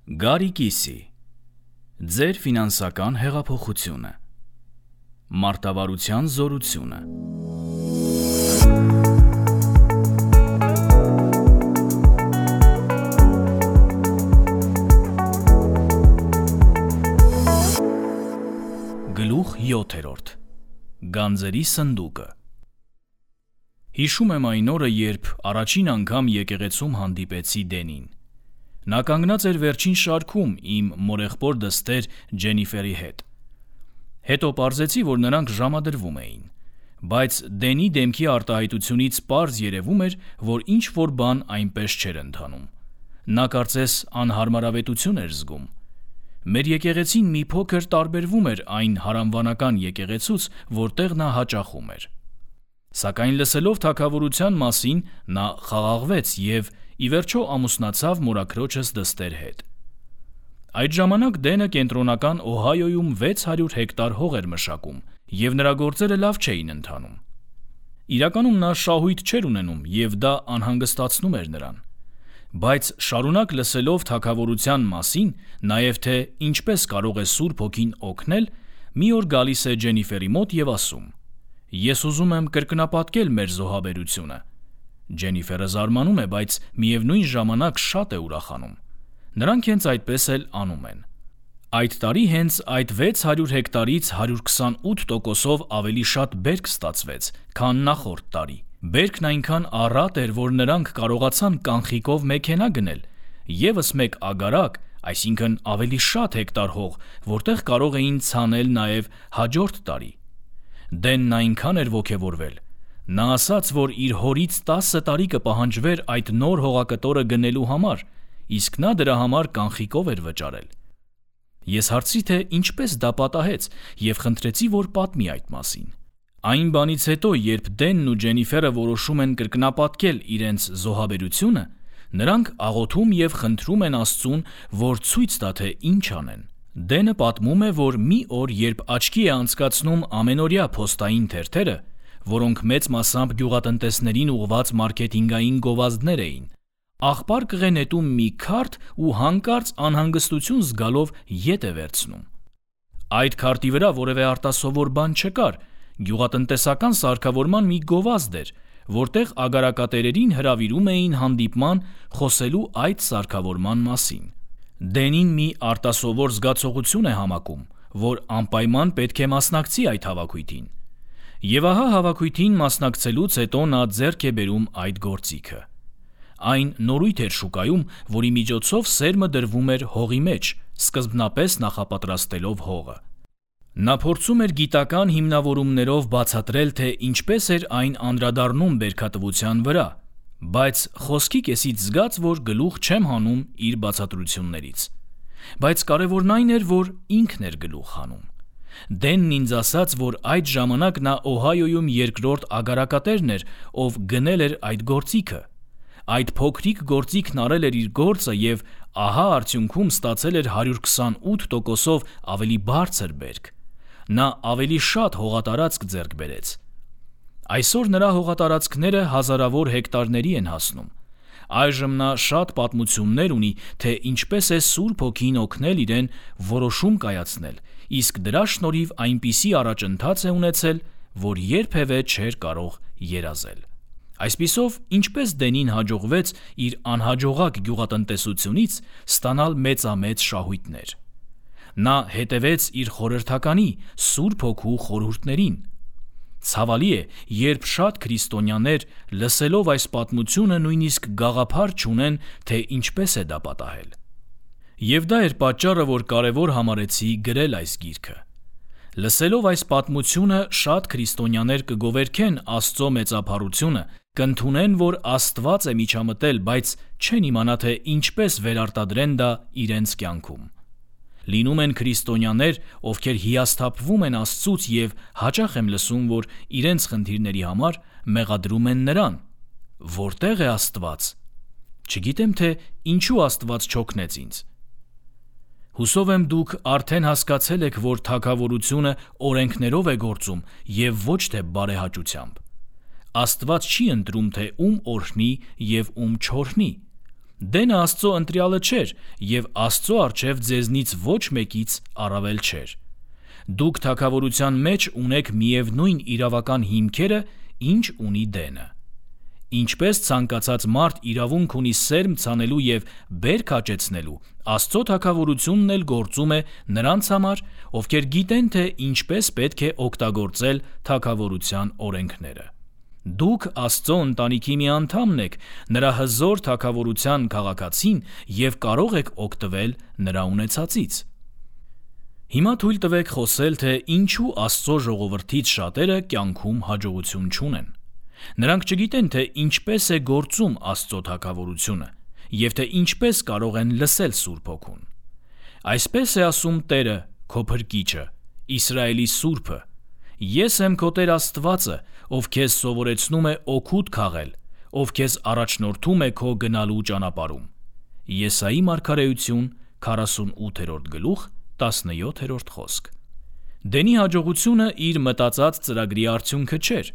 Գարի կիսի, ձեր ֆինանսական հեղափոխությունը, մարտավարության զորությունը։ Գլուխ 7. Գանձերի սնդուկը։ Հիշում եմ այն օրը, երբ առաջին անգամ եկեղեցում հանդիպեցի Դենին։ Նա կանգնած էր վերջին շարքում իմ մորեղբոր դստեր Ջենիֆերի հետ։ Հետո պարզեցի, որ նրանք ժամադրվում էին, բայց Դենի դեմքի արտահայտությունից պարզ երևում էր, որ ինչ-որ բան այնպես չէր ընթանում։ Նա կարծես անհարմարավետություն էր զգում։ Մեր եկեղեցին մի փոքր տարբերվում էր այն հարանվանական եկեղեցուց, որտեղ նա հաճախում էր։ Սակայն լսելով թագավորության մասին, նա խաղաղվեց և ի վերջո ամուսնացավ մորաքրոջս դստեր հետ։ Այդ ժամանակ Դենը կենտրոնական Օհայոյում 600 հեկտար հող էր մշակում, և նրա գործերը լավ չէին ընթանում։ Իրականում նա շահույթ չէր ունենում, և դա անհանգստացնում էր նրան։ Բայց շարունակ լսելով թագավորության մասին, նաև թե ինչպես կարող է Սուրբ Հոգին օգնել, մի օր գալիս է Ջենիֆերի մոտ և ասում. «Ես ուզում եմ կրկնապատկել մեր զոհաբերությունը»։ Ջենիֆերը զարմանում է, բայց միևնույն ժամանակ շատ է ուրախանում։ Նրանք հենց այդպես էլ անում են։ Այդ տարի հենց այդ 600 հեկտարից 128%-ով ավելի շատ բերք ստացվեց, քան նախորդ տարի։ Բերքն այնքան առատ էր, որ նրանք կարողացան կանխիկով մեքենա գնել, ևս մեկ ագարակ, այսինքն ավելի շատ հեկտար հող, որտեղ կարող էին ցանել նաև հաջորդ տարի։ Դենն այնքան էր ոգևորվել։ Նա ասաց, որ իր հորից 10 տարի կպահանջվեր այդ նոր հողակտորը գնելու համար, իսկ նա դրա համար կանխիկով էր վճարել։ Ես հարցրի, թե ինչպես դա պատահեց, և խնդրեցի, որ պատմի այդ մասին։ Այն բանից հետո, երբ Դենն ու Ջենիֆերը որոշում են կրկնապատկել իրենց զոհաբերությունը, նրանք աղոթում և խնդրում են Աստծուն, որ ցույց տա, թե ինչ անեն։ Դենը պատմում է, որ մի օր, երբ աչքի է անցկացնում ամենօրյա փոստային թերթերը, որոնք մեծ մասամբ գյուղատնտեսներին ուղղված մարքեթինգային գովազդներ էին, աղբար կղե նետում մի քարտ ու հանկարծ անհանգստություն զգալով ետ է վերցնում։ Այդ քարտի վրա որևէ արտասովոր բան չկար, գյուղատնտեսական սարքավորման մի գովազդ էր, որտեղ ագարակատերերին հրավիրում էին հանդիպման խոսելու այդ սարքավորման մասին։ Դենին մի արտասովոր զգացողություն է համակում, որ անպայման պետք է մասնակցի այդ հավաքույթին։ Եվ ահա հավաքույթին մասնակցելուց հետո նա ձեռք է բերում այդ գործիքը։ Այն նորույթ էր շուկայում, որի միջոցով սերմը դրվում էր հողի մեջ, սկզբնապես նախապատրաստելով հողը։ Նա փորձում էր գիտական հիմնավորումներով բացատրել, թե ինչպես էր այն անդրադառնում բերքատվության վրա, բայց խոսքի կեսից զգաց, որ գլուխ չեմ հանում իր բացատրություններից։ Բայց կարևորն այն էր, որ ինքն էր գլուխ հանում։ Դենն ինձ ասաց, որ այդ ժամանակ նա Օհայոյում երկրորդ ագարակատերն էր, ով գնել էր այդ գործիքը։ Այդ փոքրիկ գործիքն արել էր իր գործը և ահա արդյունքում ստացել էր 128%-ով ավելի բարձր բերք։ Նա ավելի շատ հողատարածք ձեռք բերեց։ Այսօր նրա հողատարածքները հազարավոր հեկտարների են հասնում։ Այժմ նա շատ պատմություններ ունի, թե ինչպես է Սուրբ Հոգին օգնել իրեն որոշում կայացնել, իսկ դրա շնորհիվ այնպիսի առաջընթաց է ունեցել, որ երբևէ չէր կարող երազել։ Այսպիսով, ինչպես Դենին հաջողվեց իր անհաջողակ գյուղատնտեսությունից ստանալ մեծամեծ շահույթներ։ Նա հետևեց իր խորհրդականի Սուրբ Հոգու խորհուրդներին։ Ցավալի է, երբ շատ քրիստոնյաներ, լսելով այս պատմությունը, նույնիսկ գաղափար չունեն, թե ինչպես է դա պատահել։ Եվ դա էր պատճառը, որ կարևոր համարեցի գրել այս գիրքը։ Լսելով այս պատմությունը, շատ քրիստոնյաներ կգովերքեն Աստծո մեծափառությունը, կընդունեն, որ Աստված է միջամտել, բայց չեն իմանա, թե ինչպես վերարտադրեն դա իրենց կյանքում։ Լինում են քրիստոնյաներ, ովքեր հիասթափվում են Աստծուց և հաճախ եմ լսում, որ իրենց խնդիրների համար մեղադրում են նրան։ Որտե՞ղ է Աստված։ Չգիտեմ, թե ինչու Աստված չօգնեց ինձ։ Հուսով եմ դուք արդեն հասկացել եք, որ թագավորությունը օրենքներով է գործում և ոչ թե բարեհաճությամբ։ Աստված չի ընտրում, թե ում օրհնի և ում չօրհնի։ Դենը Աստծո ընտրյալը չէր և Աստծո առջև ձեզնից ոչ մեկից առավել չէր։ Դուք թագավորության մեջ ունեք միևնույն իրավական հիմքերը, ինչ ունի Դենը։ Ինչպես ցանկացած մարդ իրավունք ունի սերմ ցանելու և բերք աճեցնելու, Աստծո թագավորությունն էլ գործում է նրանց համար, ովքեր գիտեն, թե ինչպես պետք է օգտագործել թագավորության օրենքները։ Դուք Աստծո ընտանիքի մի անդամն եք, նրա հզոր թագավորության քաղաքացին և կարող եք օգտվել նրա ունեցածից։ Հիմա թույլ տվեք խոսել, թե ինչու Աստծո ժողովրդից շատերը կյանքում հաջողություն չունեն։ Նրանք չգիտեն, թե ինչպես է գործում Աստծո թագավորությունը և թե ինչպես կարող են լսել Սուրբ Հոգուն։ Այսպես է ասում Տերը, քո Փրկիչը, Իսրայելի Սուրբը. Ես եմ քո Տեր Աստվածը, ով քեզ սովորեցնում է օգուտ քաղել, ով քեզ առաջնորդում է քո գնալու ճանապարհում։ Եսայի մարգարեություն 48-րդ գլուխ 17-րդ խոսք։ Դենի հաջողությունը իր մտածած ծրագրի արդյունքը չէր։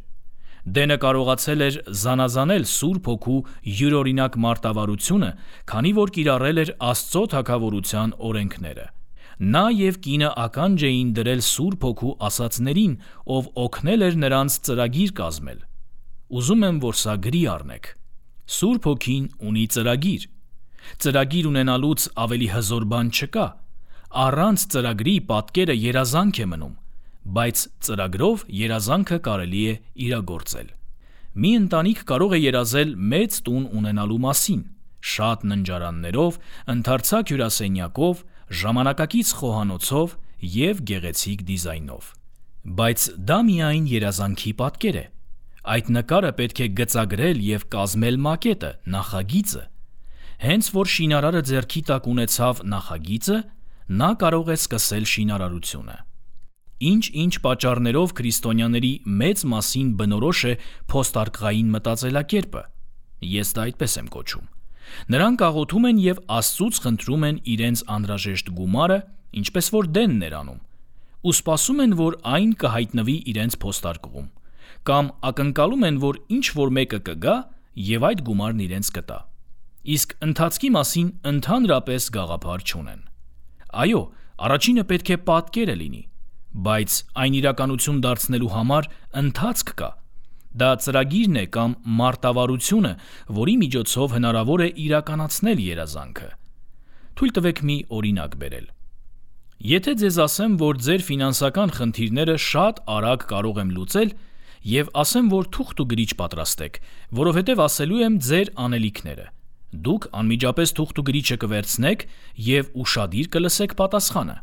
Դենը կարողացել էր զանազանել Սուրբ Հոգու յուրօրինակ մարտավարությունը, քանի որ կիրառել էր Աստծո թագավորության օրենքները։ Նա և կինը ականջ էին դրել Սուրբ Հոգու ասածներին, ով օգնել էր նրանց ծրագիր կազմել։ Ուզում եմ, որ սա գրի առնեք։ Սուրբ Հոգին ունի ծրագիր։ Ծրագիր ունենալուց ավելի հզոր բան չկա։ Առանց ծրագրի պատկերը երազանք է մնում, բայց ծրագրով երազանքը կարելի է իրագործել։ Մի ընտանիք կարող է երազել մեծ տուն ունենալու մասին, շատ ննջարաններով, ընդարձակ հյուրասենյակով, ժամանակակից խոհանոցով և գեղեցիկ դիզայնով։ Բայց դա միայն երազանքի պատկեր է։ Այդ նկարը պետք է գծագրել և կազմել մակետը, նախագիծը։ Հենց որ շինարարը ձեռքի տակ ունեցավ նախագիծը, նա կարող է սկսել շինարարությունը։ Ինչ-ինչ պատճառներով քրիստոնյաների մեծ մասին բնորոշ է փոստարկղային մտածելակերպը։ Ես դա այդպես եմ կոչում։ Նրանք աղոթում են և Աստծուց խնդրում են իրենց անհրաժեշտ գումարը, ինչպես որ Դենն էր անում, ու սպասում են, որ այն կհայտնվի իրենց փոստարկղում, կամ ակնկալում են, որ ինչ-որ մեկը կգա և այդ գումարն իրենց կտա։ Իսկ ընթացքի մասին ընդհանրապես գաղափար չունեն։ Այո, առաջինը պետք է պատկերը լինի, բայց այն իրականություն դարձնելու համար ընթացք կա։ Դա ծրագիրն է կամ մարտավարությունը, որի միջոցով հնարավոր է իրականացնել երազանքը։ Թույլ տվեք մի օրինակ բերել։ Եթե ձեզ ասեմ, որ ձեր ֆինանսական խնդիրները շատ արագ կարող եմ լուծել և ասեմ, որ թուղթ ու գրիչ պատրաստեք, որովհետև ասելու եմ ձեր անելիքները, դուք անմիջապես թուղթ ու գրիչը կվերցնեք և ուշադիր կլսեք պատասխանը։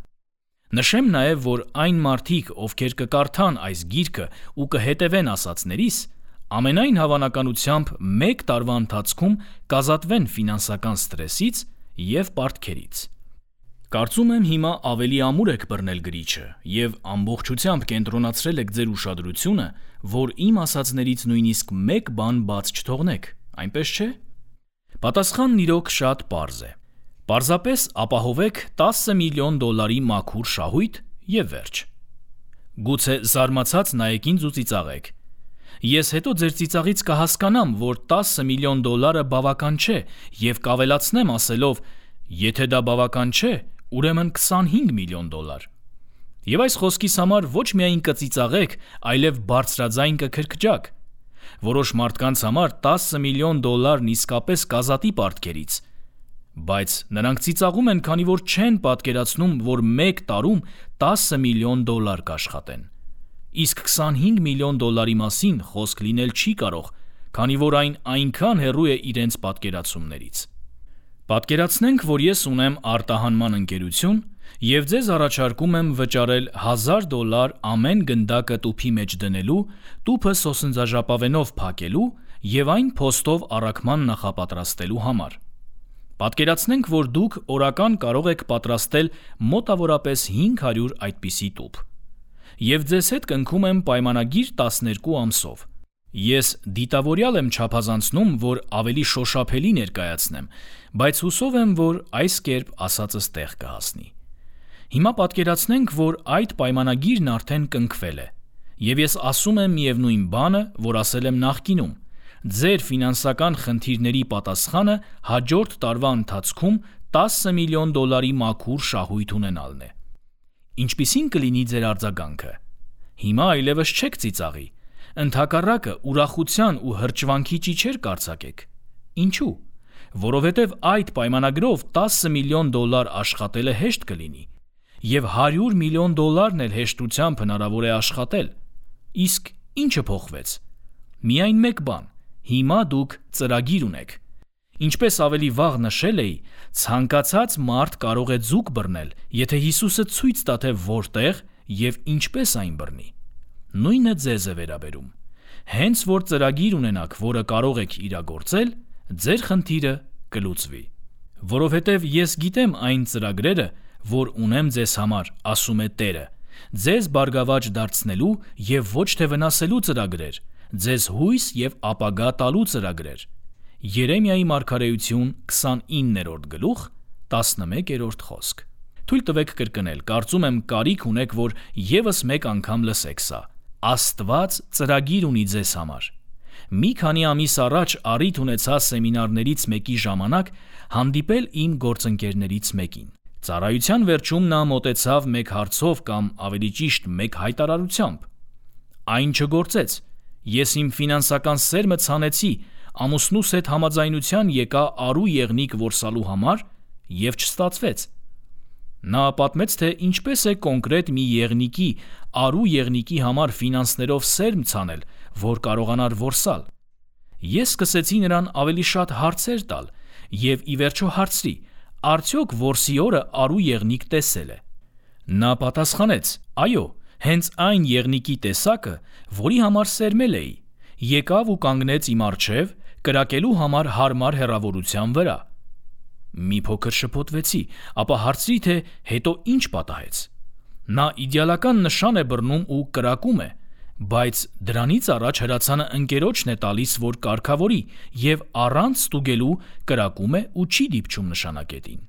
Նշեմ նաև, որ այն մարդիկ, ովքեր կկարդան այս գիրքը ու կհետևեն ասածներիս, ամենայն հավանականությամբ 1 տարվա ընթացքում կազատվեն ֆինանսական սթրեսից և պարտքերից։ Կարծում եմ հիմա ավելի ամուր եք բռնել գրիչը և ամբողջությամբ կենտրոնացրել եք ձեր ուշադրությունը, որ իմ ասածներից նույնիսկ մեկ բան բաց չթողնեք, այնպես չէ՞։ Պատասխանն իրոք շատ պարզ է։ Պարզապես ապահովեք $10 միլիոն մաքուր շահույթ և վերջ։ Գուցե զարմացած նայեք ինձ ու ծիծաղեք։ Ես հետո ձեր ծիծաղից կհասկանամ, որ $10 միլիոն բավական չէ և կավելացնեմ ասելով, եթե դա բավական չէ, ուրեմն $25 միլիոն։ Եվ այս խոսքիս համար ոչ միայն կծիծաղեք, այլև բարձրաձայն կքրքջաք։ Որոշ մարդկանց համար $10 միլիոն իսկապես կազատի պարտքերից, բայց նրանք ծիծաղում են, քանի որ չեն պատկերացնում, որ 1 տարում $10 միլիոն կաշխատեն։ Իսկ $25 միլիոն մասին խոսք լինել չի կարող, քանի որ այն այնքան հեռու է իրենց պատկերացումներից։ Պատկերացնենք, որ ես ունեմ արտահանման ընկերություն և ձեզ առաջարկում եմ վճարել $1000 ամեն գնդակը տուփի մեջ դնելու, տուփը սոսնձաժապավենով փակելու և այն փոստով առաքման նախապատրաստելու համար։ Պատկերացնենք, որ դուք օրական կարող եք պատրաստել մոտավորապես 500 այդպիսի տուփ։ Եվ ձեզ հետ կնքում եմ պայմանագիր 12 ամսով։ Ես դիտավորյալ եմ չափազանցնում, որ ավելի շոշափելի ներկայացնեմ, բայց հուսով եմ, որ այս կերպ ասածս տեղ կհասնի։ Հիմա պատկերացնենք, որ այդ պայմանագիրն արդեն կնքվել է, և ես ասում եմ միևնույն բանը, որ ասել եմ նախկինում։ ձեր ֆինանսական խնդիրների պատասխանը հաջորդ տարվա ընթացքում $10 միլիոն մաքուր շահույթ ունենալն է։ Ինչպիսին կլինի ձեր արձագանքը։ Հիմա այլևս չեք ծիծաղի, ընդհակառակը ուրախության ու հրճվանքի ճիչեր կարձակեք։ Ինչու՞։ Որովհետև այդ պայմանագրով $10 միլիոն աշխատելը հեշտ կլինի, և $100 միլիոն էլ հեշտությամբ հնարավոր է աշխատել։ Իսկ ինչը փոխվեց։ Միայն մեկ բան, հիմա դուք ծրագիր ունեք։ Ինչպես ավելի վաղ նշել էի, ցանկացած մարդ կարող է ձուկ բռնել, եթե Հիսուսը ցույց տա, թե որտեղ և ինչպես այն բռնի։ Նույնը ձեզ է վերաբերում։ Հենց որ ծրագիր ունենաք, որը կարող եք իրագործել, ձեր խնդիրը կլուծվի։ Որովհետև ես գիտեմ այն ծրագրերը, որ ունեմ ձեզ համար, ասում է Տերը, ձեզ բարգավաճ դարձնելու և ոչ թե վնասելու ծրագրեր, ձեզ հույս և ապագա տալու ծրագրեր։ Երեմիայի մարգարեություն 29-րդ գլուխ 11-րդ խոսք։ Թույլ տվեք կրկնել, կարծում եմ կարիք ունեք, որ ևս մեկ անգամ լսեք սա։ Աստված ծրագիր ունի ձեզ համար։ Մի քանի ամիս առաջ առիթ ունեցա սեմինարներից մեկի ժամանակ հանդիպել իմ գործընկերներից մեկին։ Ծառայության վերջում նա մոտեցավ մեկ հարցով կամ ավելի ճիշտ մեկ հայտարարությամբ։ Այն չգործեց։ Ես իմ ֆինանսական սերմը ցանեցի, ամուսնուս հետ համաձայնության եկա արու եղնիկ որսալու համար և չստացվեց։ Նա պատմեց, թե ինչպես է կոնկրետ մի եղնիկի, արու եղնիկի համար ֆինանսներով սերմ ցանել, որ կարողանար որսալ։ Ես սկսեցի նրան ավելի շատ հարցեր տալ և ի վերջո հարցրի. արդյոք որսի օրը արու եղնիկ տեսել է։ Նա պատասխանեց. այո, հենց այն եղնիկի տեսակը, որի համար սերմել էի, եկավ ու կանգնեց իմ առջև կրակելու համար հարմար հեռավորության վրա։ Մի փոքր շփոթվեցի, ապա հարցրի, թե հետո ինչ պատահեց։ Նա իդեալական նշան է բռնում ու կրակում է, բայց դրանից առաջ հրացանը ընկերոջն է տալիս, որ կարգավորի, և առանց ստուգելու կրակում է ու չի դիպչում նշանակետին։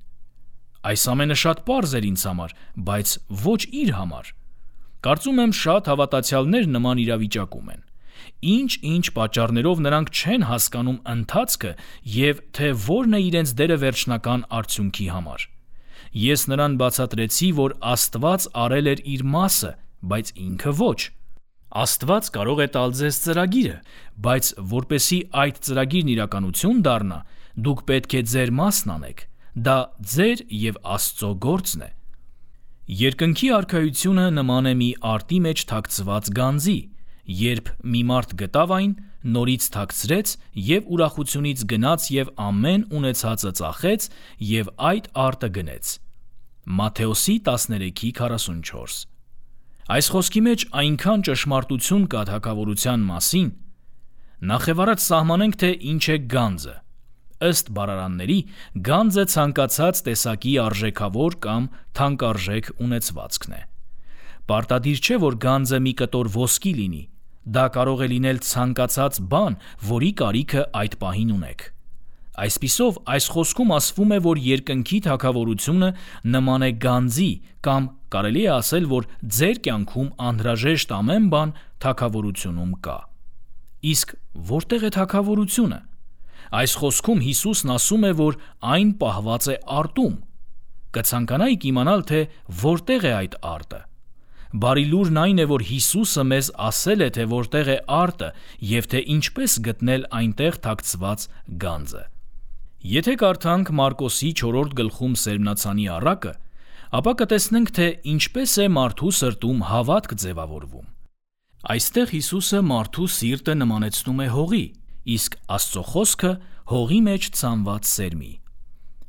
Այս ամենը շատ պարզ էր ինձ համար, բայց ոչ իր համար։ Կարծում եմ շատ հավատացյալներ նման իրավիճակում են։ Ինչ պատճառներով նրանք չեն հասկանում ընթացքը և թե որն է իրենց դերը վերջնական արդյունքի համար։ Ես նրան բացատրեցի, որ Աստված արել էր իր մասը, բայց ինքը ոչ։ Աստված կարող է տալ ձեզ ծրագիրը, բայց որպեսզի այդ ծրագիրն իրականություն դառնա, դուք պետք է ձեր մասն անեք։ Դա ձեր և Աստծո գործն է։ Երկնքի արքայությունը նման է մի արտի մեջ թաքցված գանձի, երբ մի մարդ գտավ այն, նորից թաքցրեց և ուրախությունից գնաց և ամեն ունեցածը ծախեց և այդ արտը գնեց։ Մատթեոս 13:44։ Այս խոսքի մեջ այնքան ճշմարտություն կա թագավորության մասին։ Նախևառաջ սահմանենք, թե ինչ է գանձը։ Ըստ բառարանների, գանձը ցանկացած տեսակի արժեքավոր կամ թանկարժեք ունեցվածքն է։ Պարտադիր չէ, որ գանձը մի կտոր ոսկի լինի։ Դա կարող է լինել ցանկացած բան, որի կարիքը այդ պահին ունեք։ Այսպիսով, այս խոսքում ասվում է, որ երկնքի թագավորությունը նման է գանձի, կամ կարելի է ասել, որ ձեր կյանքում անհրաժեշտ ամեն բան թագավորությունում կա։ Իսկ որտե՞ղ է թագավորությունը։ Այս խոսքում Հիսուսն ասում է, որ այն պահված է արտում։ Կցանկանայիք իմանալ, թե որտեղ է այդ արտը։ Բարի լուրն այն է, որ Հիսուսը մեզ ասել է, թե որտեղ է արտը և թե ինչպես գտնել այնտեղ թաքցված գանձը։ Եթե կարդանք Մարկոսի 4-րդ գլխում սերմնացանի առակը, ապա կտեսնենք, թե ինչպես է մարդու սրտում հավատք ձևավորվում։ Այստեղ Հիսուսը մարդու սիրտը նմանեցնում է հողի, իսկ Աստծո խոսքը հողի մեջ ցանված սերմի։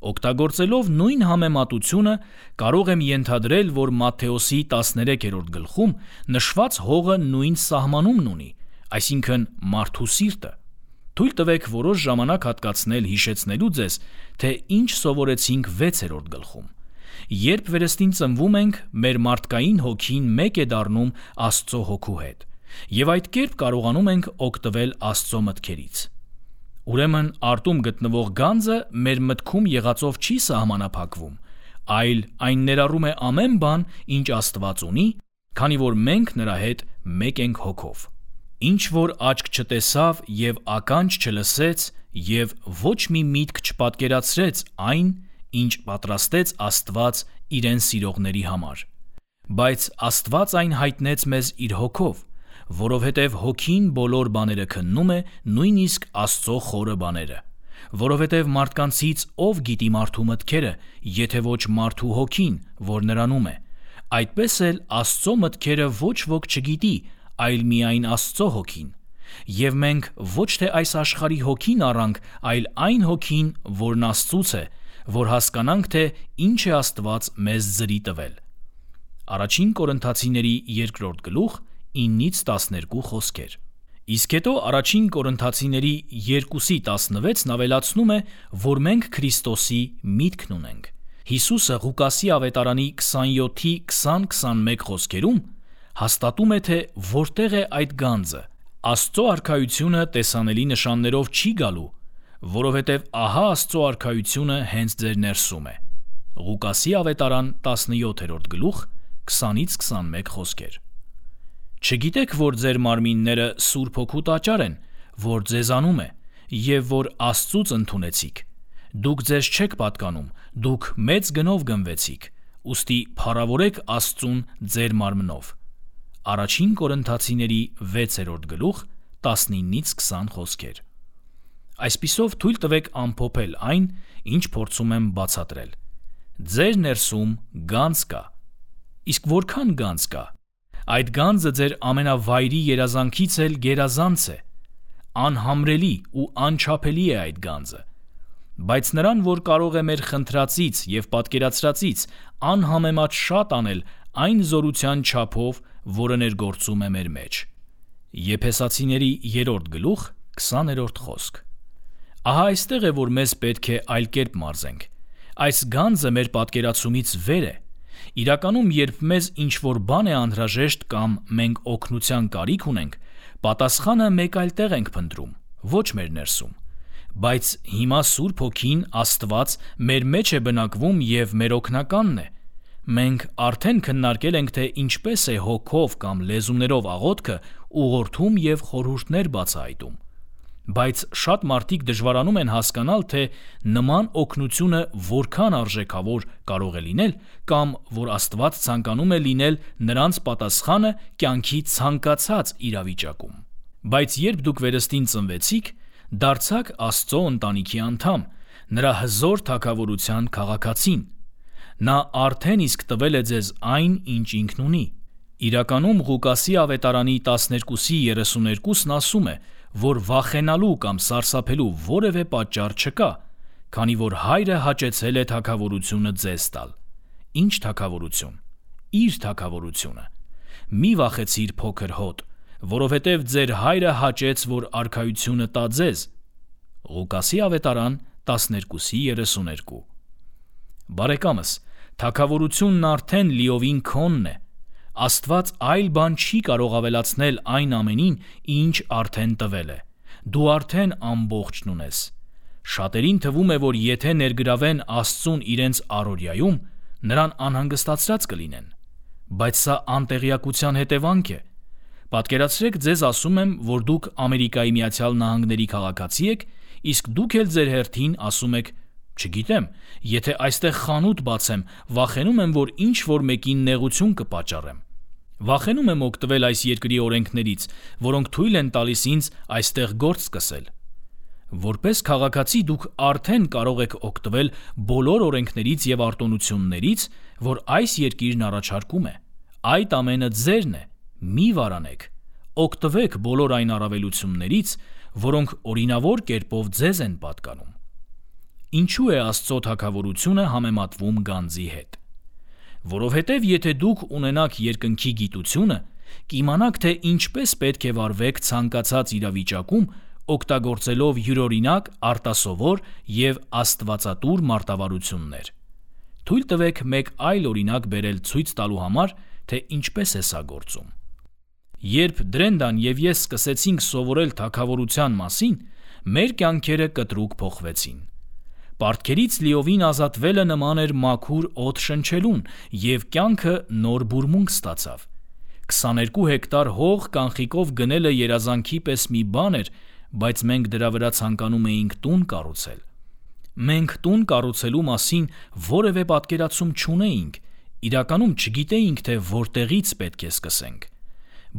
Օգտագործելով նույն համեմատությունը կարող եմ ենթադրել, որ Մատթեոս 13-րդ գլխում նշված հողը նույն սահմանումն ունի, այսինքն մարդու սիրտը։ Թույլ տվեք որոշ ժամանակ հատկացնել հիշեցնելու ձեզ, թե ինչ սովորեցինք 6-րդ գլխում։ Երբ վերստին ծնվում ենք, մեր մարդկային հոգին մեկ է դառնում Աստծո հոգու հետ, և այդ կերպ կարողանում ենք օգտվել Աստծո մտքերից։ Ուրեմն արտում գտնվող գանձը մեր մտքում եղածով չի սահմանափակվում, այլ այն ներառում է ամեն բան, ինչ Աստված ունի, քանի որ մենք նրա հետ մեկ ենք հոգով։ Ինչ որ աչք չտեսավ և ականջ չլսեց և ոչ մի միտք չպատկերացրեց այն, ինչ պատրաստեց Աստված իրեն սիրողների համար։ Բայց Աստված այն հայտնեց մեզ իր հոգով, որովհետև հոգին բոլոր բաները քննում է, նույնիսկ Աստծո խորը բաները։ Որովհետև մարդկանցից ով գիտի մարդու մտքերը, եթե ոչ մարդու հոգին, որ նրանում է։ Այդպես էլ Աստծո մտքերը ոչ ոք չգիտի, այլ միայն Աստծո հոգին։ Եվ մենք ոչ թե այս աշխարհի հոգին առանք, այլ այն հոգին, որն Աստծուց է, որ հասկանանք, թե ինչ է Աստված մեզ զրի տվել։ Առաջին Կորինթացիների 2 գլուխ 9-12 խոսքեր։ Իսկ հետո առաջին Կորինթացիների 2:16-ն ավելացնում է, որ մենք Քրիստոսի միտքն ունենք։ Հիսուսը Ղուկասի ավետարանի 27:20-21 խոսքերում հաստատում է, թե որտեղ է այդ գանձը։ Աստծո արքայությունը տեսանելի նշաններով չի գալու, որովհետև ահա Աստծո արքայությունը հենց ձեր ներսում է։ Ղուկասի ավետարան 17 գլուխ 20-21 խոսքեր։ Չգիտեք, որ ձեր մարմինները Սուրբ Հոգու տաճար են, որ ձեզանում է, և որ Աստծուց ընդունեցիք։ Դուք ձեզ չեք պատկանում, դուք մեծ գնով գնվեցիք, ուստի փառավորեք Աստծուն ձեր մարմնով։ Առաջին Կորինթացիների 6 գլուխ 19-20 խոսքեր։ Այսպիսով թույլ տվեք ամփոփել այն, ինչ փորձում եմ բացատրել։ Ձեր ներսում գանձ կա։ Իսկ որքան գանձ կա։ Այդ գանձը ձեր ամենավայրի երազանքից էլ գերազանց է։ Անհամրելի ու անչափելի է այդ գանձը։ Բայց նրան, որ կարող է մեր խնդրածից և պատկերացրածից անհամեմատ շատ անել այն զորության չափով, որը ներգործում է մեր մեջ։ Եփեսացիների 3 գլուխ 20 խոսք։ Ահա այստեղ է, որ մեզ պետք է այլ կերպ մարզենք։ Այս գանձը մեր պատկերացումից վեր է։ Իրականում, երբ մեզ ինչ-որ բան է անհրաժեշտ կամ մենք օգնության կարիք ունենք, պատասխանը մեկ այլ տեղ ենք փնտրում, ոչ մեր ներսում։ Բայց հիմա Սուրբ Հոգին, Աստված, մեր մեջ է բնակվում և մեր օգնականն է։ Մենք արդեն քննարկել ենք, թե ինչպես է հոգով կամ լեզուներով աղոթքը ուղղորդում և խորհուրդներ բացահայտում։ Բայց շատ մարդիկ դժվարանում են հասկանալ, թե նման օգնությունը որքան արժեքավոր կարող է լինել, կամ որ Աստված ցանկանում է լինել նրանց պատասխանը կյանքի ցանկացած իրավիճակում։ Բայց երբ դուք վերստին ծնվեցիք, դարձաք Աստծո ընտանիքի անդամ, նրա հզոր թագավորության քաղաքացին։ Նա արդեն իսկ տվել է ձեզ այն, ինչ ինքն ունի։ Իրականում Ղուկասի ավետարանի 12:32-ն ասում է, որ վախենալու կամ սարսափելու որևէ պատճառ չկա, քանի որ Հայրը հաճեցել է թագավորությունը ձեզ տալ։ Ինչ թագավորություն։ Իր թագավորությունը։ Մի վախեցիր, փոքր հոտ, որովհետև ձեր Հայրը հաճեց, որ արքայությունը տա ձեզ։ Ղուկասի ավետարան 12:32։ Բարեկամս, թագավորությունն արդեն լիովին քոնն է։ Աստված այլ բան չի կարող ավելացնել այն ամենին, ինչ արդեն տվել է։ Դու արդեն ամբողջն ունես։ Շատերին թվում է, որ եթե ներգրավեն Աստծուն իրենց առօրյայում, նրան անհանգստացած կլինեն։ Բայց սա անտեղյակության հետևանք է։ Պատկերացրեք, ձեզ ասում եմ, որ դուք Ամերիկայի Միացյալ Նահանգների քաղաքացի եք, իսկ դուք էլ ձեր հերթին ասում եք. «Չգիտեմ, եթե այստեղ խանութ բացեմ, վախենում եմ, որ ինչ-որ մեկին նեղություն կպատճառեմ։ Վախենում եմ օգտվել այս երկրի օրենքներից, որոնք թույլ են տալիս ինձ այստեղ գործ սկսել»։ Որպես քաղաքացի դուք արդեն կարող եք օգտվել բոլոր օրենքներից և արտոնություններից, որ այս երկիրն առաջարկում է։ Այդ ամենը ձերն է։ Մի վարանեք։ Օգտվեք բոլոր այն առավելություններից, որոնք օրինավոր կերպով ձեզ են պատկանում։ Ինչու է Աստծո թագավորությունը համեմատվում գանձի հետ։ Որովհետև եթե դուք ունենաք երկնքի գիտությունը, կիմանաք, թե ինչպես պետք է վարվեք ցանկացած իրավիճակում, օգտագործելով յուրօրինակ, արտասովոր և աստվածատուր մարտավարություններ։ Թույլ տվեք մեկ այլ օրինակ բերել ցույց տալու համար, թե ինչպես է սա գործում։ Երբ Դրենդան և ես սկսեցինք սովորել թագավորության մասին, մեր կյանքերը կտրուկ փոխվեցին։ Պարտքերից լիովին ազատվելը նման էր մաքուր օդ շնչելուն, և կյանքը նոր բուրմունք ստացավ։ 22 հեկտար հող կանխիկով գնելը երազանքի պես մի բան էր, բայց մենք դրա վրա ցանկանում էինք տուն կառուցել։ Մենք տուն կառուցելու մասին որևէ պատկերացում չունեինք, իրականում չգիտեինք, թե որտեղից պետք է սկսենք,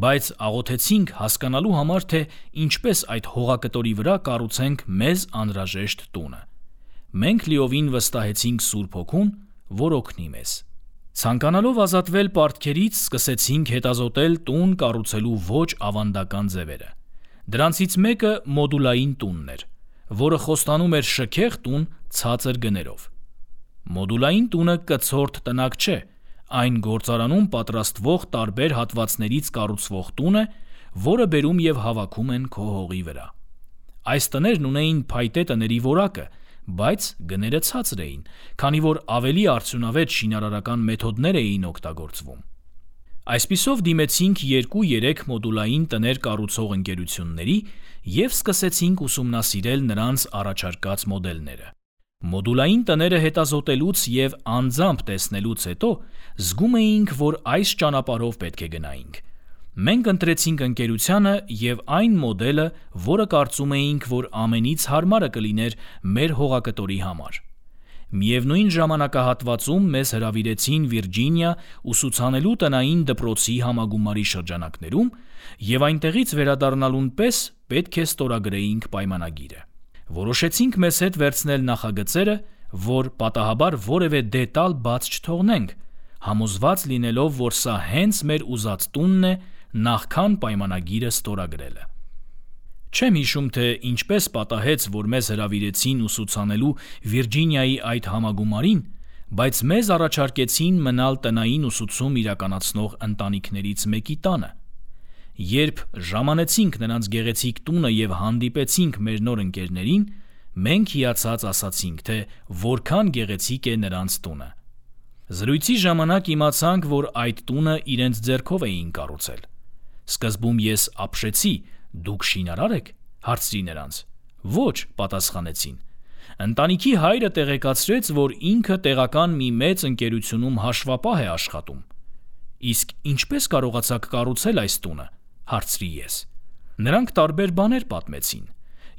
բայց աղոթեցինք հասկանալու համար, թե ինչպես այդ հողակտորի վրա կառուցենք մեզ անհրաժեշտ տունը։ Մենք լիովին վստահեցինք Սուրբ Հոգուն, որ օգնի մեզ։ Ցանկանալով ազատվել պարտքերից, սկսեցինք հետազոտել տուն կառուցելու ոչ ավանդական ձևերը։ Դրանցից մեկը մոդուլային տունն էր, որը խոստանում էր շքեղ տուն ցածր գներով։ Մոդուլային տունը կցորդ տնակ չէ, այն գործարանում պատրաստվող տարբեր հատվածներից կառուցվող տուն է, որը բերում և հավաքում են քո հողի վրա։ Այս տներն ունեին փայտե տների որակը, բայց գները ցածր էին, քանի որ ավելի արդյունավետ շինարարական մեթոդներ էին օգտագործվում։ Այսպիսով դիմեցինք 2-3 մոդուլային տներ կառուցող ընկերությունների և սկսեցինք ուսումնասիրել նրանց առաջարկած մոդելները։ Մոդուլային տները հետազոտելուց և անձամբ տեսնելուց հետո զգում էինք, որ այս ճանապարհով պետք է գնայինք։ Մենք ընտրեցինք ընկերությանը և այն մոդելը, որը կարծում էինք, որ ամենից հարմարը կլիներ մեր հողակտորի համար։ Միևնույն ժամանակահատվածում մեզ հրավիրեցին Վիրջինիա ուսուցանելու տնային դպրոցի համագումարի շրջանակներում և այնտեղից վերադառնալուն պես պետք է ստորագրեինք պայմանագիրը։ Որոշեցինք մեզ հետ վերցնել նախագծերը, որ պատահաբար որևէ դետալ բաց չթողնենք, համոզված լինելով, որ սա հենց մեր ուզած տունն է, նախքան պայմանագիրը ստորագրելը։ Չեմ հիշում, թե ինչպես պատահեց, որ մեզ հրավիրեցին ուսուցանելու Վիրջինիայի այդ համագումարին, բայց մեզ առաջարկեցին մնալ տնային ուսուցում իրականացնող ընտանիքներից մեկի տանը։ Երբ ժամանեցինք նրանց գեղեցիկ տունը և հանդիպեցինք մեր նոր ընկերներին, մենք հիացած ասացինք, թե որքան գեղեցիկ է նրանց տունը։ Զրույցի ժամանակ իմացանք, որ այդ տունը իրենց ձեռքով էին կառուցել։ Սկզբում ես ապշեցի, դուք շինարար եք, հարցրի նրանց։ Ոչ, պատասխանեցին։ Ընտանիքի հայրը տեղեկացրեց, որ ինքը տեղական մի մեծ ընկերությունում հաշվապահ է աշխատում։ Իսկ ինչպես կարողացաք կառուցել այս տունը, հարցրի ես։ Նրանք տարբեր բաներ պատմեցին։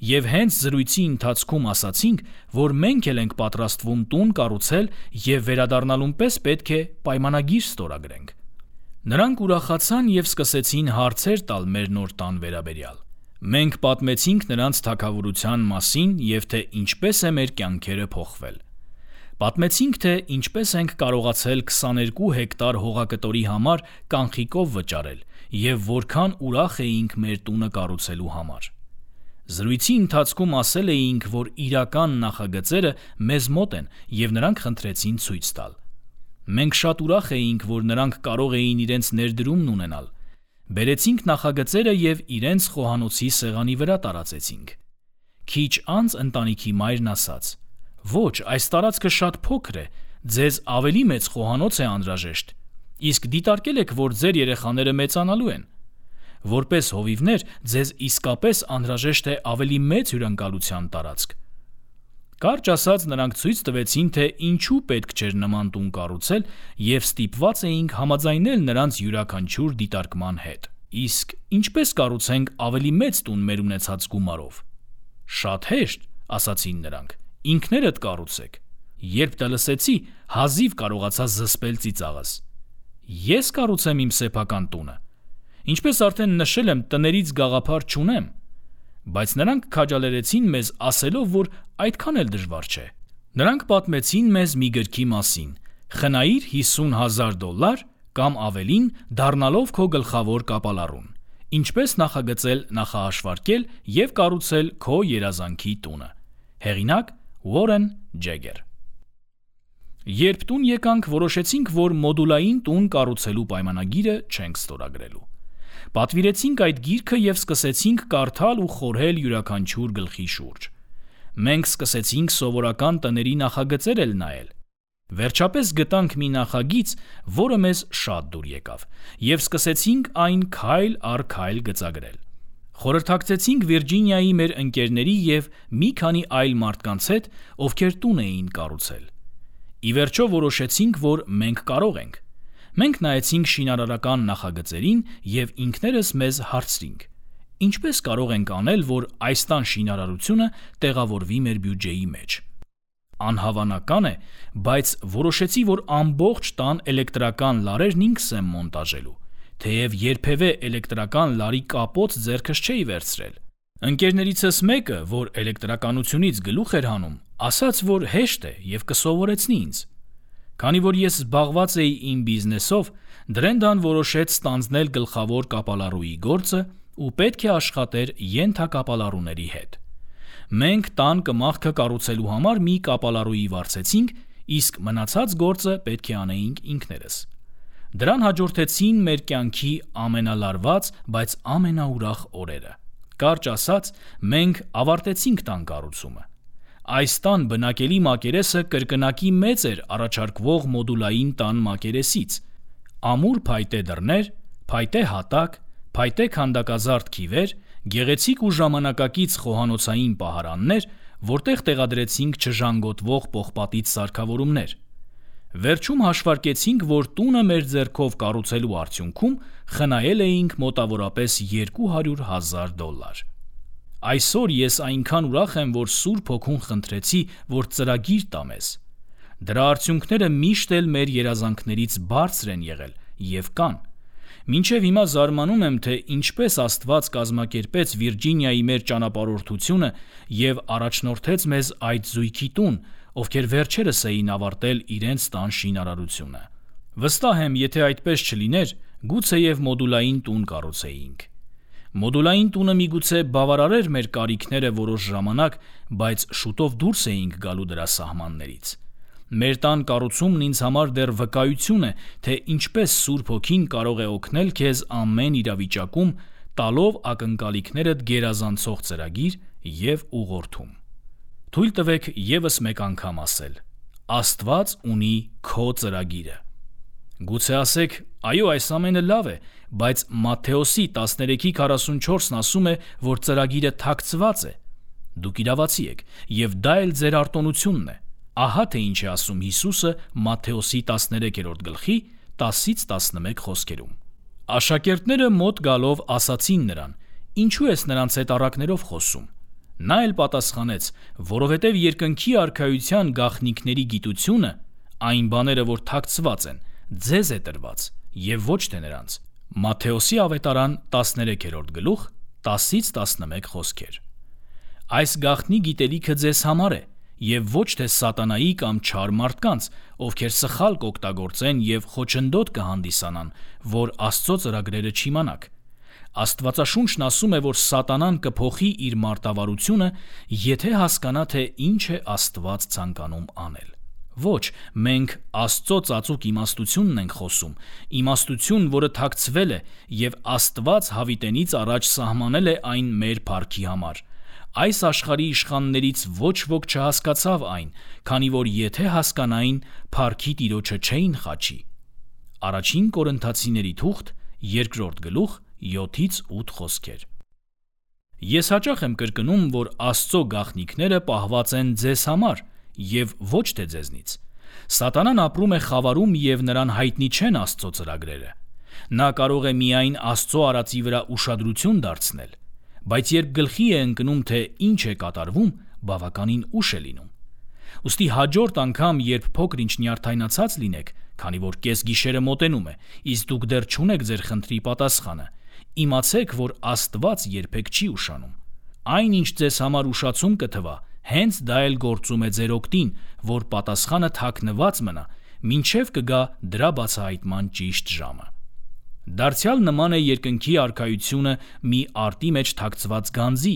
Եվ հենց զրույցի ընթացքում ասացինք, որ մենք էլ ենք պատրաստվում տուն կառուցել և վերադառնալուն պես պետք է պայմանագիր ստորագրենք։ Նրանք ուրախացան և սկսեցին հարցեր տալ մեր նոր տան վերաբերյալ։ Մենք պատմեցինք նրանց թագավորության մասին և թե ինչպես է մեր կյանքերը փոխվել։ Պատմեցինք, թե ինչպես ենք կարողացել 22 հեկտար հողակտորի համար կանխիկով վճարել և որքան ուրախ էինք մեր տունը կառուցելու համար։ Զրույցի ընթացքում ասել էինք, որ իրական նախագծերը մեզ մոտ են և նրանք խնդրեցին ցույց տալ։ Մենք շատ ուրախ էինք, որ նրանք կարող էին իրենց ներդրումն ունենալ։ Բերեցինք նախագծերը և իրենց խոհանոցի սեղանի վրա տարածեցինք։ Քիչ անց ընտանիքի մայրն ասաց. «Ոչ, այս տարածքը շատ փոքր է, ձեզ ավելի մեծ խոհանոց է անհրաժեշտ, իսկ դիտարկել եք, որ ձեր երեխաները մեծանալու են։ Որպես հովիվներ ձեզ իսկապես անհրաժեշտ է ավելի մեծ հյուրընկալության տարածք»։ Կարճ ասած, նրանք ցույց տվեցին, թե ինչու պետք չէր նման տուն կառուցել և ստիպված էինք համաձայնել նրանց յուրաքանչյուր դիտարկման հետ։ Իսկ ինչպես կառուցենք ավելի մեծ տուն մեր ունեցած գումարով։ Շատ հեշտ, ասացին նրանք, ինքներդ կառուցեք։ Երբ դա լսեցի, հազիվ կարողացա զսպել ծիծաղս։ Ես կառուցեմ իմ սեփական տունը։ Ինչպես արդեն նշել եմ, տներից գաղափար չունեմ։ Բայց նրանք քաջալերեցին մեզ ասելով, որ այդքան էլ դժվար չէ։ Նրանք պատմեցին մեզ մի գրքի մասին՝ «Խնայիր $50,000 կամ ավելին դառնալով քո գլխավոր կապալառուն. ինչպես նախագծել, նախահաշվարկել և կառուցել քո երազանքի տունը»։ Հեղինակ՝ Ուորեն Ջեգեր։ Երբ տուն եկանք, որոշեցինք, որ մոդուլային տուն կառուցելու պայմանագիրը չենք ստորագրելու։ Պատվիրեցինք այդ գիրքը և սկսեցինք կարդալ ու խորհել յուրաքանչյուր գլխի շուրջ։ Մենք սկսեցինք սովորական տների նախագծեր էլ նայել։ Վերջապես գտանք մի նախագիծ, որը մեզ շատ դուր եկավ, և սկսեցինք այն քայլ առ քայլ գծագրել։ Խորհրդակցեցինք Վիրջինիայի մեր ընկերների և մի քանի այլ մարդկանց հետ, ովքեր տուն էին կառուցել։ Ի վերջո որոշեցինք, որ մենք կարող ենք։ Մենք նայեցինք շինարարական նախագծերին և ինքներս մեզ հարցրինք. ինչպես կարող ենք անել, որ այս տան շինարարությունը տեղավորվի մեր բյուջեի մեջ։ Անհավանական է, բայց որոշեցի, որ ամբողջ տան էլեկտրական լարերն ինքս եմ մոնտաժելու, թեև երբևէ էլեկտրական լարի կապոց ձեռքս չէի վերցրել։ Ընկերներիցս մեկը, որ էլեկտրականությունից գլուխ էր հանում, ասաց, որ հեշտ է և կսովորեցնի ինձ։ Քանի որ ես զբաղված էի իմ բիզնեսով, Դրենդան որոշեց ստանձնել գլխավոր կապալառուի գործը ու պետք է աշխատեր ենթակապալառուների հետ։ Մենք տան կմախքը կառուցելու համար մի կապալառուի վարձեցինք, իսկ մնացած գործը պետք է անեինք ինքներս։ Դրան հաջորդեցին մեր կյանքի ամենալարված, բայց ամենաուրախ օրերը։ Կարճ ասած, մենք ավարտեցինք տան կառուցումը։ Այս տան բնակելի մակերեսը կրկնակի մեծ էր առաջարկվող մոդուլային տան մակերեսից։ Ամուր փայտե դռներ, փայտե հատակ, փայտե քանդակազարդ քիվեր, գեղեցիկ ու ժամանակակից խոհանոցային պահարաններ, որտեղ տեղադրեցինք չժանգոտվող պողպատից սարքավորումներ։ Վերջում հաշվարկեցինք, որ տունը մեր ձեռքով կառուցելու արդյունքում խնայել էինք մոտավորապես $200,000։ Այսօր ես այնքան ուրախ եմ, որ Սուրբ Հոգուն խնդրեցի, որ ծրագիր տա մեզ։ Դրա արդյունքները միշտ էլ մեր երազանքներից բարձր են եղել և կան։ Մինչև հիմա զարմանում եմ, թե ինչպես Աստված կազմակերպեց Վիրջինիայի մեր ճանապարհորդությունը և առաջնորդեց մեզ այդ զույգի տուն, ովքեր վերջերս էին ավարտել իրենց տան շինարարությունը։ Վստահ եմ, եթե այդպես չլիներ, գուցեև մոդուլային տուն կառուցեինք։ Մոդուլային տունը միգուցե բավարարեր մեր կարիքները որոշ ժամանակ, բայց շուտով դուրս էինք գալու դրա սահմաններից։ Մեր տան կառուցումն ինձ համար դեռ վկայություն է, թե ինչպես Սուրբ Հոգին կարող է օգնել քեզ ամեն իրավիճակում, տալով ակնկալիքներդ գերազանցող ծրագիր և ուղղորդում։ Թույլ տվեք ևս մեկ անգամ ասել. Աստված ունի քո ծրագիրը։ Գուցե ասեք, այո, այս ամենը լավ է, բայց Մատթեոսի 13:44-ն ասում է, որ ծրագիրը թաքցված է։ Դուք իրավացի եք, և դա էլ ձեր արտոնությունն է։ Ահա թե ինչ է ասում Հիսուսը Մատթեոսի 13:10-11 խոսքերում։ Աշակերտները մոտ գալով ասացին նրան. «Ինչու ես նրանց հետ առակներով խոսում»։ Նա էլ պատասխանեց. «Որովհետև երկնքի արքայության գաղտնիքների գիտությունը, այն բաները, որ թաքցված են, ձեզ է տրված, և ոչ թե նրանց»։ Մատթեոսի ավետարան 13:10-11 խոսքեր։ Այս գաղտնի գիտելիքը ձեզ համար է, և ոչ թե սատանայի կամ չար մարդկանց, ովքեր սխալ կօգտագործեն և խոչընդոտ կհանդիսանան, որ Աստծո ծրագրերը չիմանաք։ Աստվածաշունչն ասում է, որ սատանան կփոխի իր մարտավարությունը, եթե հասկանա, թե ինչ է Աստված ցանկանում անել։ Ոչ, մենք Աստծո ծածուկ իմաստությունն ենք խոսում, իմաստություն, որը թաքցվել է, և Աստված հավիտենից առաջ սահմանել է այն մեր փառքի համար։ Այս աշխարհի իշխաններից ոչ ոք չհասկացավ այն, քանի որ եթե հասկանային, փառքի Տիրոջը չէին խաչի։ Առաջին Կորինթացիների թուղթ 2 գլուխ 7-8 խոսքեր։ Ես հաճախ եմ կրկնում, որ Աստծո գաղտնիքները պահված են ձեզ համար և ոչ թե ձեզնից։ Սատանան ապրում է խավարում և նրան հայտնի չեն Աստծո ծրագրերը։ Նա կարող է միայն Աստծո արածի վրա ուշադրություն դարձնել, բայց երբ գլխի է ընկնում, թե ինչ է կատարվում, բավականին ուշ է լինում։ Ուստի հաջորդ անգամ, երբ փոքր-ինչ նյարդայնացած լինեք, քանի որ կեսգիշերը մոտենում է, իսկ դուք դեռ չունեք ձեր խնդրի պատասխանը, իմացեք, որ Աստված երբեք չի ուշանում։ Այն, ինչ ձեզ համար ուշացում կթվա, հենց դա էլ գործում է ձեր օգտին, որ պատասխանը թաքնված մնա, մինչև կգա դրա բացահայտման ճիշտ ժամը։ Դարձյալ նման է երկնքի արքայությունը մի արտի մեջ թաքցված գանձի,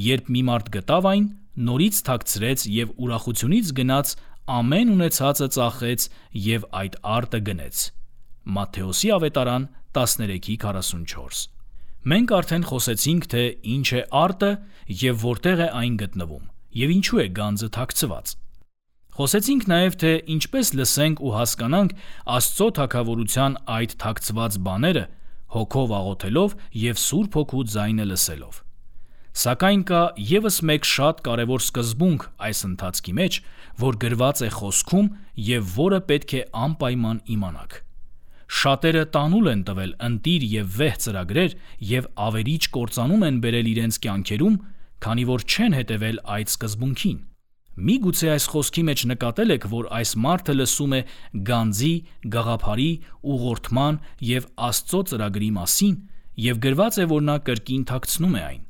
երբ մի մարդ գտավ այն, նորից թաքցրեց և ուրախությունից գնաց ամեն ունեցածը ծախեց և այդ արտը գնեց։ Մատթեոսի ավետարան 13:44։ Մենք արդեն խոսեցինք, թե ինչ է արտը և որտեղ է այն գտնվում, և ինչու է գանձը թաքցված։ Խոսեցինք նաև, թե ինչպես լսենք ու հասկանանք Աստծո թագավորության այդ թաքցված բաները, հոգով աղոթելով և Սուրբ Հոգու ձայնը լսելով։ Սակայն կա ևս մեկ շատ կարևոր սկզբունք այս ընթացքի մեջ, որ գրված է Խոսքում և որը պետք է անպայման իմանաք։ Շատերը տանուլ են տվել ընտիր և վեհ ծրագրեր և ավերիչ կործանում են բերել իրենց կյանքերում, քանի որ չեն հետևել այդ սկզբունքին։ Միգուցե այս խոսքի մեջ նկատել եք, որ այս մարդը լսում է գանձի, գաղափարի, ուղղորդման և Աստծո ծրագրի մասին և գրված է, որ նա կրկին թաքցնում է այն։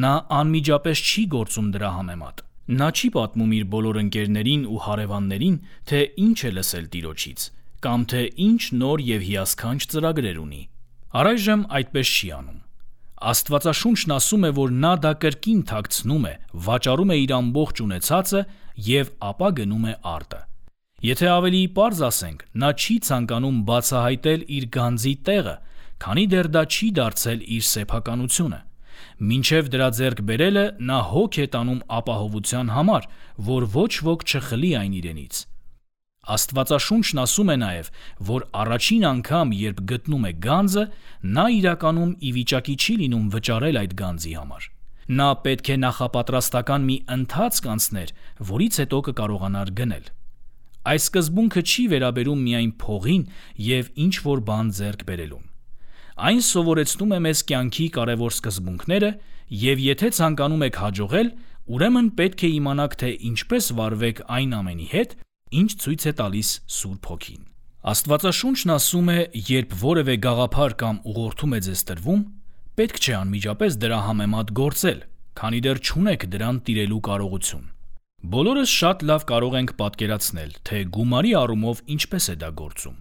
Նա անմիջապես չի գործում դրա համեմատ։ Նա չի պատմում իր բոլոր ընկերներին ու հարևաններին, թե ինչ է լսել Տիրոջից, կամ թե ինչ նոր և հիասքանչ ծրագրեր ունի։ Առայժմ այդպես չի անում։ Աստվածաշունչն ասում է, որ նա դա կրկին թաքցնում է, վաճառում է իր ամբողջ ունեցածը և ապա գնում է արտը։ Եթե ավելի պարզ ասենք, նա չի ցանկանում բացահայտել իր գանձի տեղը, քանի դեռ դա չի դարձել իր սեփականությունը։ Մինչև դրա ձեռք բերելը նա հոգ է տանում ապահովության համար, որ ոչ ոք չխլի այն իրենից։ Աստվածաշունչն ասում է նաև, որ առաջին անգամ, երբ գտնում է գանձը, նա իրականում ի վիճակի չի լինում վճարել այդ գանձի համար։ Նա պետք է նախապատրաստական մի ընթացք անցներ, որից հետո կկարողանար գնել։ Այս սկզբունքը չի վերաբերում միայն փողին և ինչ-որ բան ձեռք բերելուն։ Այն սովորեցնում է մեզ կյանքի կարևոր սկզբունքները, և եթե ցանկանում եք հաջողել, ուրեմն պետք է իմանաք, թե ինչպես վարվեք այն ամենի հետ, ինչ ցույց է տալիս Սուրբ Հոգին։ Աստվածաշունչն ասում է, երբ որևէ գաղափար կամ ուղղորդում է ձեզ տրվում, պետք չէ անմիջապես դրա համեմատ գործել, քանի դեռ չունեք դրան տիրելու կարողություն։ Բոլորս շատ լավ կարող ենք պատկերացնել, թե գումարի առումով ինչպես է դա գործում։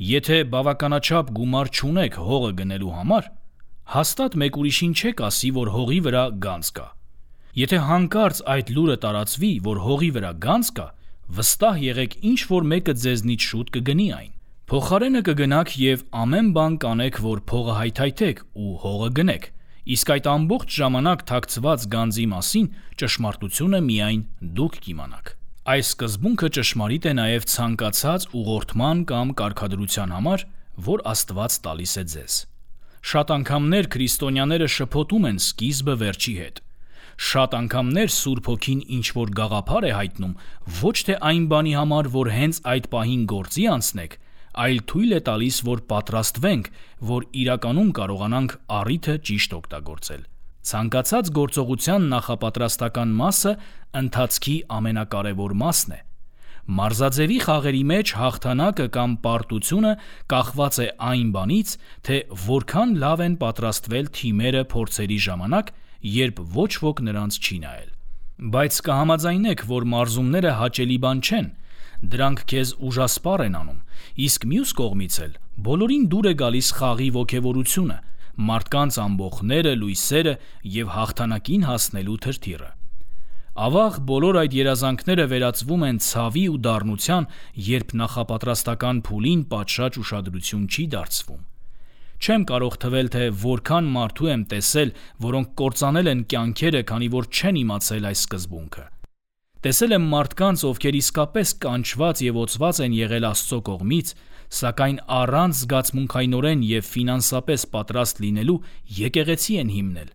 Եթե բավականաչափ գումար չունեք հողը գնելու համար, հաստատ մեկ ուրիշին չեք ասի, որ հողի վրա գանձ կա։ Եթե հանկարծ այդ լուրը տարածվի, որ հողի վրա գանձ կա, վստահ եղեք, ինչ-որ մեկը ձեզնից շուտ կգնի այն։ Փոխարենը կգնաք և ամեն բան կանեք, որ փողը հայթայթեք ու հողը գնեք, իսկ այդ ամբողջ ժամանակ թաքցված գանձի մասին ճշմարտությունը միայն դուք կիմանաք։ Այս սկզբունքը ճշմարիտ է նաև ցանկացած ուղղորդման կամ կարգադրության համար, որ Աստված տալիս է ձեզ։ Շատ անգամներ քրիստոնյաները շփոթում են սկիզբը վերջի հետ։ Շատ անգամներ Սուրբ Հոգին ինչ-որ գաղափար է հայտնում ոչ թե այն բանի համար, որ հենց այդ պահին գործի անցնեք, այլ թույլ է տալիս, որ պատրաստվենք, որ իրականում կարողանանք առիթը ճիշտ օգտագործել։ Ցանկացած գործողության նախապատրաստական մասը ընթացքի ամենակարևոր մասն է։ Մարզաձևի խաղերի մեջ հաղթանակը կամ պարտությունը կախված է այն բանից, թե որքան լավ են պատրաստվել թիմերը փորձերի ժամանակ, երբ ոչ ոք նրանց չի նայել։ Բայց կհամաձայնեք, որ մարզումները հաճելի բան չեն, դրանք քեզ ուժասպառ են անում, իսկ մյուս կողմից էլ բոլորին դուր է գալիս խաղի ոգևորությունը, մարդկանց ամբոխները, լույսերը և հաղթանակին հասնելու թրթիռը։ Ավաղ բոլոր այդ երազանքները վերածվում են ցավի ու դառնության, երբ նախապատրաստական փուլին պատշաճ ուշադրություն չի դարձվում։ Չեմ կարող թվել, թե որքան մարդու եմ տեսել, որոնք կործանել են կյանքերը, քանի որ չեն իմացել այս սկզբունքը։ Տեսել եմ մարդկանց, ովքեր իսկապես կանչված և օծված են եղել Աստծո կողմից, սակայն առանց զգացմունքայնորեն և ֆինանսապես պատրաստ լինելու եկեղեցի են հիմնել,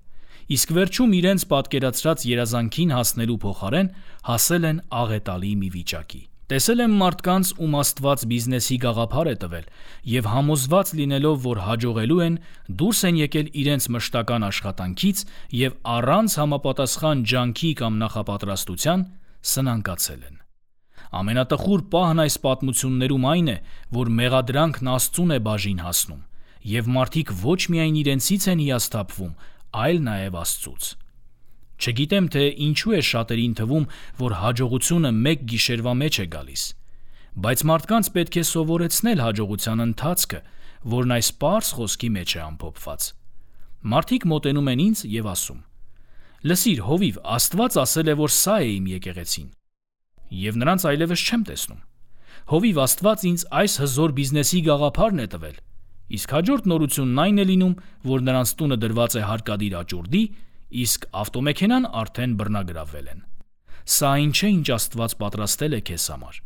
իսկ վերջում իրենց պատկերացրած երազանքին հասնելու փոխարեն հասել են աղետալի մի վիճակի։ Տեսել եմ մարդկանց, ում Աստված բիզնեսի գաղափար է տվել, և համոզված լինելով, որ հաջողելու են, դուրս են եկել իրենց մշտական աշխատանքից և առանց համապատասխան ջանքի կամ նախապատրաստության սնանկացել են։ Ամենատխուր պահն այս պատմություններում այն է, որ մեղադրանքն Աստծուն է բաժին հասնում, և մարդիկ ոչ միայն իրենցից են հիասթափվում, այլ նաև Աստծուց։ Չգիտեմ, թե ինչու է շատերին թվում, որ հաջողությունը մեկ գիշերվա մեջ է գալիս, բայց մարդկանց պետք է սովորեցնել հաջողության ընթացքը, որն այս պարզ խոսքի մեջ է ամփոփված։ Մարդիկ մոտենում են ինձ և ասում. «Լսիր, հովիվ, Աստված ասել է, որ սա է իմ եկեղեցին»։ Եվ նրանց այլևս չեմ տեսնում։ Հովիվ, Աստված ինձ այս հզոր բիզնեսի գաղափարն է տվել, իսկ հաջորդ նորությունն այն է լինում, որ նրանց տունը դրված է հարկադիր աճուրդի, իսկ ավտոմեքենան արդեն բռնագրավվել են։ Սա այն չէ, ինչ Աստված պատրաստել է քեզ համար։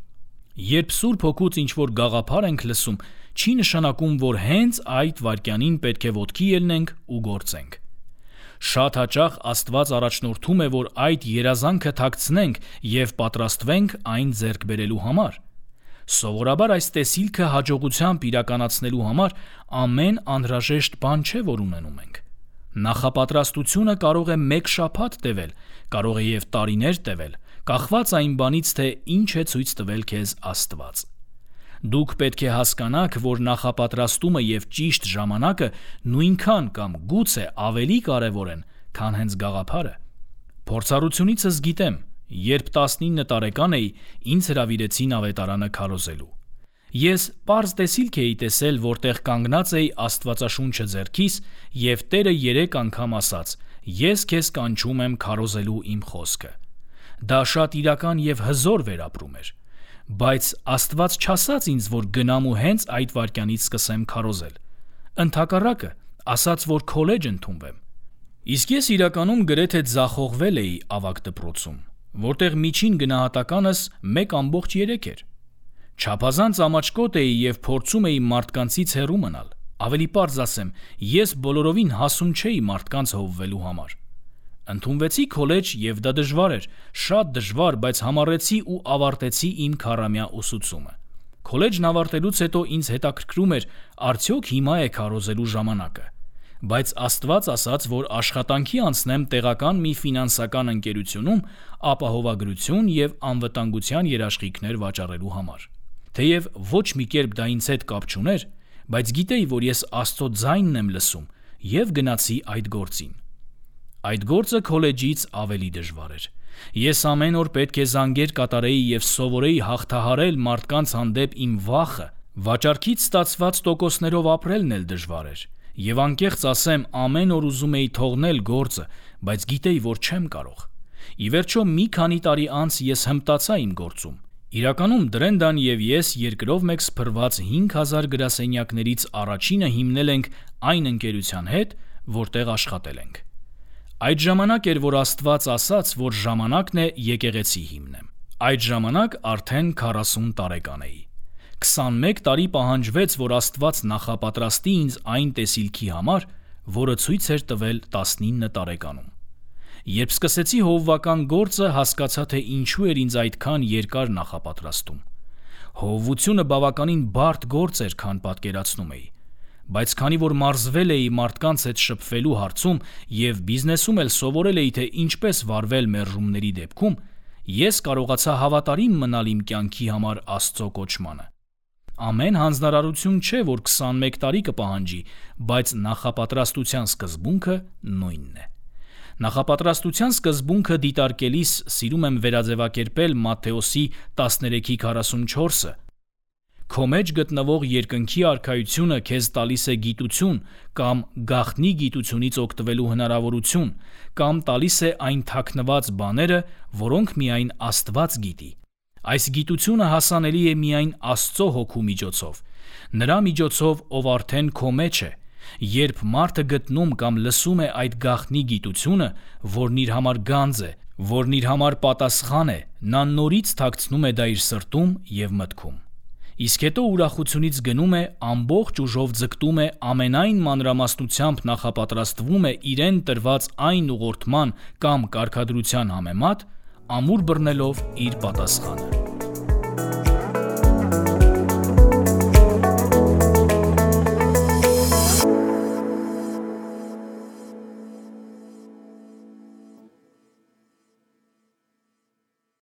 Երբ Սուրբ Հոգուց ինչ-որ գաղափար ենք լսում, չի նշանակում, որ հենց այդ վայրկյանին պետք է ոտքի ելնենք ու գործենք։ Շատ հաճախ Աստված առաջնորդում է, որ այդ երազանքը թաքցնենք և պատրաստվենք այն ձեռք բերելու համար։ Սովորաբար այս տեսիլքը հաջողությամբ իրականացնելու համար ամեն անհրաժեշտ բան չէ, որ ունենում ենք։ Նախապատրաստությունը կարող է մեկ շաբաթ տևել, կարող է և տարիներ տևել, կախված այն բանից, թե ինչ է ցույց տվել քեզ Աստված։ Դուք պետք է հասկանաք, որ նախապատրաստումը և ճիշտ ժամանակը նույնքան կամ գուցե ավելի կարևոր են, քան հենց գաղափարը։ Փորձառությունիցս գիտեմ, երբ 19 տարեկան էի, ինձ հրավիրեցին ավետարանը քարոզելու։ Ես պարզ տեսիլք էի տեսել, որտեղ կանգնած էի Աստվածաշունչը ձեռքիս, և Տերը 3 անգամ ասաց. «Ես քեզ կանչում եմ քարոզելու իմ խոսքը»։ Դա շատ իրական և հզոր վերապրում էր։ Բայց Աստված չասաց ինձ, որ գնամ ու հենց այդ վայրկյանից սկսեմ քարոզել։ Ընդհակառակը, ասաց, որ քոլեջ ընդունվեմ։ Իսկ ես իրականում գրեթե ձախողվել էի ավագ դպրոցում, որտեղ միջին գնահատականս 1.3 էր։ Չափազանց ամաչկոտ էի և փորձում էի մարդկանցից հեռու մնալ։ Ավելի պարզ ասեմ, ես բոլորովին հասուն չէի մարդկանց հովվելու համար։ Ընդունվեցի քոլեջ և դա դժվար էր, շատ դժվար, բայց համառեցի ու ավարտեցի իմ քառամյա ուսուցումը։ Քոլեջն ավարտելուց հետո ինձ հետաքրքրում էր, արդյոք հիմա է քարոզելու ժամանակը։ Բայց Աստված ասաց, որ աշխատանքի անցնեմ տեղական մի ֆինանսական ընկերությունում ապահովագրություն և անվտանգության երաշխիքներ վաճառելու համար։ Թեև ոչ մի կերպ դա ինձ հետ կապ չուներ, բայց գիտեի, որ ես Աստծո ձայնն եմ լսում և գնացի այդ գործին։ Այդ գործը քոլեջից ավելի դժվար էր։ Ես ամեն օր պետք է զանգեր կատարեի և սովորեի հաղթահարել մարդկանց հանդեպ իմ վախը, վաճառքից ստացված տոկոսներով ապրելն էլ դժվար էր։ Եվ անկեղծ ասեմ, ամեն օր ուզում էի թողնել գործը, բայց գիտեի, որ չեմ կարող։ Ի վերջո մի քանի տարի անց ես հմտացա իմ գործում։ Իրականում Դրենդան և ես երկրով մեկ սփռված 5000 գրասենյակներից առաջինը հիմնել ենք այն ընկերության հետ, որտեղ աշխատել ենք։ Այդ ժամանակ էր, որ Աստված ասաց, որ ժամանակն է եկեղեցի հիմնեմ։ Այդ ժամանակ արդեն 40 տարեկան էի։ 21 տարի պահանջվեց, որ Աստված նախապատրաստի ինձ այն տեսիլքի համար, որը ցույց էր տվել 19 տարեկանում։ Երբ սկսեցի հովվական գործը, հասկացա, թե ինչու էր ինձ այդքան երկար նախապատրաստում։ Հովվությունը բավականին բարդ գործ էր, քան պատկերացնում էի։ Բայց քանի որ մարզվել էի մարդկանց հետ շփվելու հարցում և բիզնեսում էլ սովորել էի, թե ինչպես վարվել մերժումների դեպքում, ես կարողացա հավատարիմ մնալ իմ կյանքի համար Աստծո կոչմանը։ Ամեն հանձնարարություն չէ, որ 21 տարի կպահանջի, բայց նախապատրաստության սկզբունքը նույնն է։ Նախապատրաստության սկզբունքը դիտարկելիս սիրում եմ վերաձևակերպել Մատթեոսի 13:44-ը. «Քո մեջ գտնվող երկնքի արքայությունը քեզ տալիս է գիտություն կամ գաղտնի գիտությունից օգտվելու հնարավորություն, կամ տալիս է այն թաքնված բաները, որոնք միայն Աստված գիտի։ Այս գիտությունը հասանելի է միայն Աստծո Հոգու միջոցով, նրա միջոցով, ով արդեն քո մեջ է։ Երբ մարդը գտնում կամ լսում է այդ գաղտնի գիտությունը, որն իր համար գանձ է, որն իր համար պատասխան է, նա նորից թաքցնում է դա իր սրտում և մտքում։ Իսկ հետո ուրախությունից գնում է, ամբողջ ուժով ձգտում է, ամենայն մանրամասնությամբ նախապատրաստվում է իրեն տրված այն ուղղորդման կամ կարգադրության համեմատ, ամուր բռնելով իր պատասխանը»։